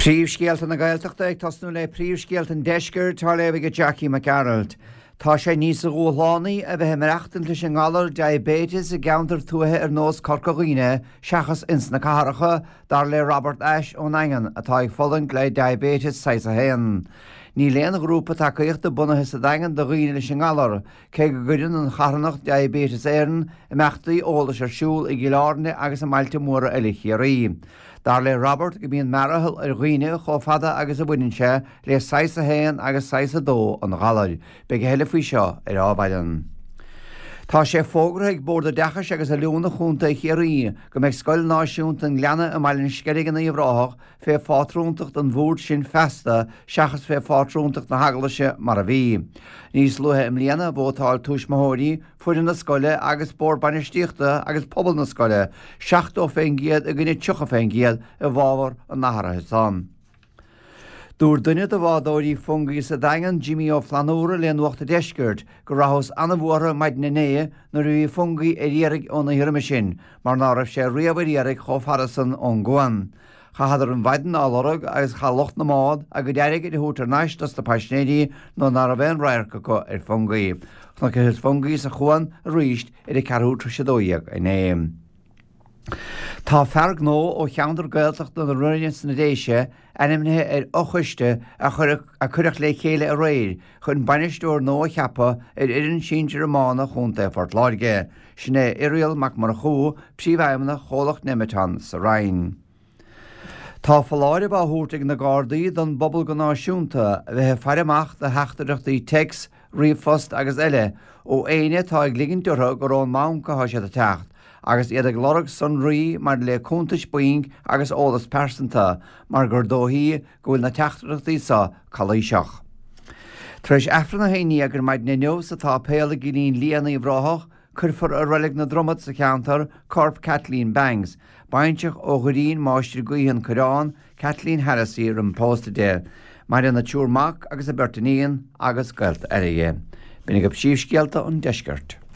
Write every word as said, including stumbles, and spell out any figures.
Príomhscéalta na Gaeltachta ag tosnú le príomhscéalta an deiscirt á léamh ag Jackie Mac Gearailt. Tá sé níos dúshlánaí a bheith ag maireachtaint leis an ngalar diaibéiteas i gceantar tuaithe ar nós Corca Dhuibhne seachas ins na cathracha, dar le Robert Ashe ón nDaingean atá ag fulaingt le diaibéiteas saghas a haon. Níl aon ghrúpa tacaíochta bunaithe sa Daingean do dhaoine leis an ngalar, cé go gcuireann an charthanacht Diabetes Éireann imeachtaí eolais ar siúl i gCill Airne agus i mbailte móra eile Chiarraí. Dar le Robert go mbíonn mearathal ar dhaoine chomh fada agus a bhaineann sé le saghas a haon agus saghas a dó an ghalair. Beidh a thuilleadh faoi seo ar Adhmhaidin. Tá sé fógartha ag Bord Oideachais agus Oiliúna Chontae Chiarraí go mbeidh Scoil Náisiúnta an Ghleanna i mBaile an Sceilg in Uíbh Ráthach fé phátrúntacht an bhoird sin feasta seachas fé phátrúntacht na hEaglaise mar a bhí. Níos luaithe i mbliana vótáil tuismitheoirí, foireann na scoile agus bord bainistíochta agus pobal na scoile seachtó faoin gcéad i gcoinne tríocha faoin gcéad i bhfabhar an athraithe san. Dúirt duine de bhádóirí Fungie sa Daingean, Jimmy Ó Flannúra le Nuacht an Deiscirt, go rabhthas an-bhuartha maidin inné nuair a bhí Fungie ar iarraidh ón oíche roimhe sin, mar ná raibh sé riamh ar iarraidh chomh fada san ón gcuan. Chaitheadar an mhaidin á lorg agus chaith lucht na mbád a gcuid airgid a thabhairt thar n-ais dos na paisnéirí nuair ná raibh aon radharc acu ar Fungie. Chonacthas Fungie sa chuan arís ar a ceathrú tar éis a dó dhéag inné. Tá fear gnó ó cheantar Gaeltachta na Rinne sna Déise ainmnithe ar fhochoiste a cuireadh le chéile aréir chun bainisteoir nua a cheapadh ar fhoireann sinsir iomána Chontae Phort Láirge. Sin é Irial Mac Murchú, Príomhfheidhmeannach Chomhlacht Nemeton sa Rinn. Tá foláireamh á thabhairt ag na Gardaí don bpobal go náisiúnta a bheith ag faire amach do theachtaireachtaí téacs, ríomhphost agus eile ó éinne atá ag ligint orthu gur ón mbanc atá siad ag teacht agus iad ag lorg sonraí maidir le cuntais bainc agus eolas pearsanta mar gur dóichí go bhfuil na teachtaireachtaí seo calaoiseach. Tar éis Aifreann a haon déag ar maidin inniu sa tsáipéal i gCillín Liath in Uíbh Ráthach, cuirfear i Reilig na Dromad sa cheantar corp Kathleen Banks, baintreach ó Dhoirín Máistir Gaoithe an Coireán, Kathleen Harrisy roimh pósta di. Maireann a triúr mac agus a beirt iníon agus gaolta eile di. B'in agaibh príomhscéalta an deiscirt.